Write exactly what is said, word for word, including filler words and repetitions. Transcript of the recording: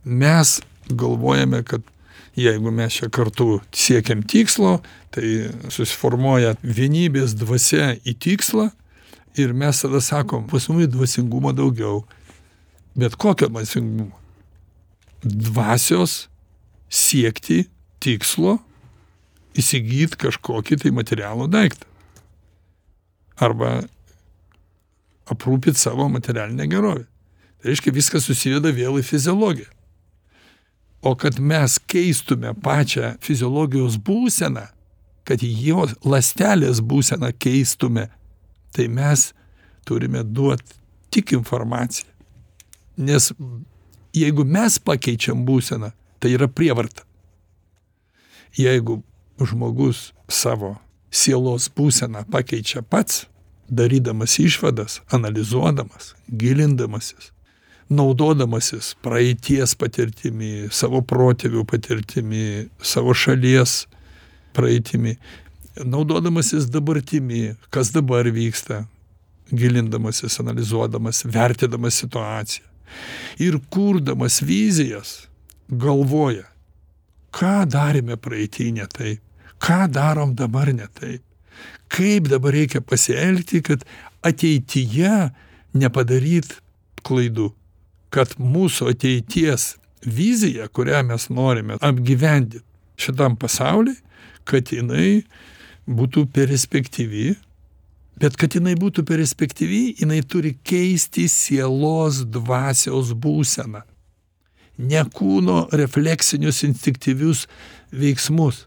mes galvojame, kad jeigu mes čia kartu siekiam tikslo, tai susiformuoja vienybės dvasia į tikslą ir mes tada sakom, pas mus dvasingumo daugiau. Bet kokio dvasingumo? Dvasios siekti tikslo, įsigyti kažkokį tai materialų daiktą. Arba aprūpinti savo materialinę gerovę. Tai reiškia, viskas susiveda vėl į fiziologiją. O kad mes keistume pačią fiziologijos būseną, kad jos ląstelės būseną keistume, tai mes turime duoti tik informaciją. Nes jeigu mes pakeičiam būseną, tai yra prievarta. Jeigu žmogus savo sielos būseną pakeičia pats, darydamas išvadas, analizuodamas, gilindamasis, naudodamasis praeities patirtimi, savo protėvių patirtimi, savo šalies praeitimi, naudodamasis dabartimi, kas dabar vyksta, gilindamasis, analizuodamas, vertinamas situaciją ir kurdamas vizijas, galvoja, ką darėme praeitį ne taip, ką darom dabar ne taip, kaip dabar reikia pasielgti, kad ateityje nepadaryt klaidų, kad mūsų ateities vizija, kurią mes norime apgyvendinti šitam pasauliui, kad jinai būtų perspektyvi, bet kad jinai būtų perspektyvi, jinai turi keisti sielos dvasios būseną, ne kūno refleksinius instinktyvius veiksmus.